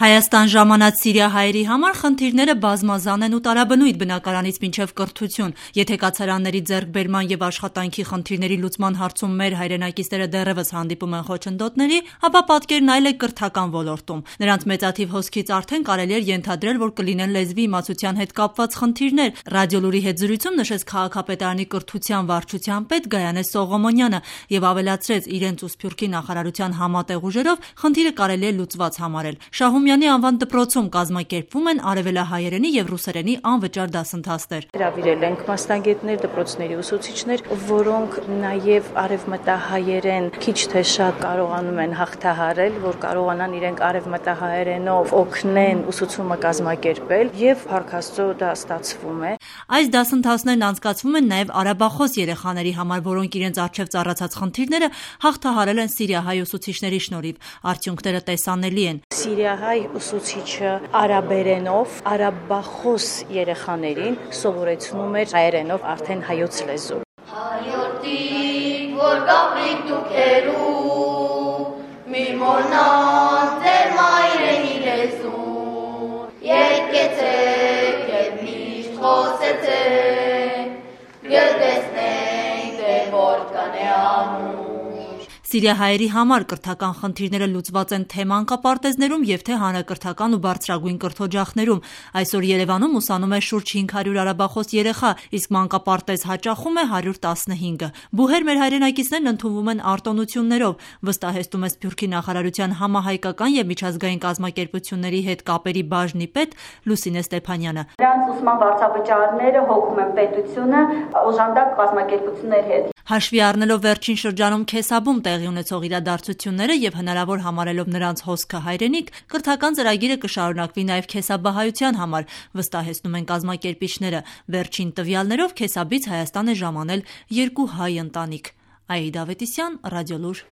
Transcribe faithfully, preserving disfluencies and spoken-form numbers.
Հայաստան ժամանած Սիրիա հայերի համար խնդիրները բազմազան են ու տարաբնույթ բնակարանից մինչև կրթություն։ Եթե կացարանների ձեռքբերման և աշխատանքի խնդիրների լուծման հարցում մեր հայրենակիցները դեռևս հանդիպում են խոչընդոտների, ապա պատկերն այլ է կրթական ոլորտում։ Նրանց մեծաթիվ հոսքից արդեն կարելի էր ենթադրել, որ կլինեն լեզվի իմացության հետ կապված խնդիրներ։ Ռադիոլուրի հետ զրույցում նշեց քաղաքապետարանի կրթության վարչության պետ Գայանե Սողոմոնյանը և ավելացրեց իրենց ու Սփյուռքի նախարարության համատեղ ուժերով խնդիրը կարելի է լուծված համարել։ Շահումյանի անվան դպրոցում կազմակերպվում են արևելահայերենի և ռուսերենի անվճար դասընթացներ։ Հրավիրել ենք մասնագետներ, դպրոցների ուսուցիչներ, որոնք նաև արևմտահայերեն քիչ թե շատ կարողանում են հաղթահարել, որ կարողանան իրենք արևմտահայերենով օգնեն ուսուցումը կազմակերպել և փառք Աստծո դա ստացվում է։ Այս դասընթացներն անցկացվում են նաև արաբախոս երեխաների համար, որոնք իրենց առջև ծառացած խնդիրները հաղթահարել են սիրիահայ ուսուցիչների շնորհիվ։ Արդյունքները տեսանելի են։ Սիրիահայ ուսուցիչը արաբերենով արաբախոս երեխաներին սովորեցնում էր հայերենով արդեն հայոց լեզու։ Հայորդիկ, որ գաղրիկ դուքերու, մի մորնան ձեր մայրենի լեզուն, եկեցեք և միշտ խոսեցեք, գտեսնենք, թե որ կանե անուն։ Սիրիահայերի համար կրթական խնդիրները լուծված են թե մանկապարտեզներում և թե հանրակրթական ու բարձրագույն կրթօջախներում։ Այսօր Երևանում ուսանում է շուրջ հինգ հարյուր արաբախոս երեխա, իսկ մանկապարտեզ հաճախում է հարյուր տասնհինգը։ Բուհեր մեր հայրենակիցներն ընդունվում են արտոնություններով, վստահեցնում է Սփյուռքի նախարարության համահայկական և միջազգային կազմակերպությունների հետ կապերի բաժնի պետ Լուսինե Ստեփանյանը։ Նրանց ուսման վարձավճարները հոգում են պետությունը օժանդակ կազմակերպությունների հետ։ Հաշվի առնելով վերջին շրջանում Քեսաբում տեղի ունեցող իրադարձությունները և հնարավոր համարելով նրանց հոսքը հայրենիք, կրթական ծրագիրը կշարունակվի նաև քեսաբահայության համար, վստահեցնում են կազմակերպիչները։ Վերջին տվյալներով Քեսաբից Հայաստան է ժամանել երկու հայ ընտանիք։ Աիդա Ավետիսյան, Ռադիոլուր։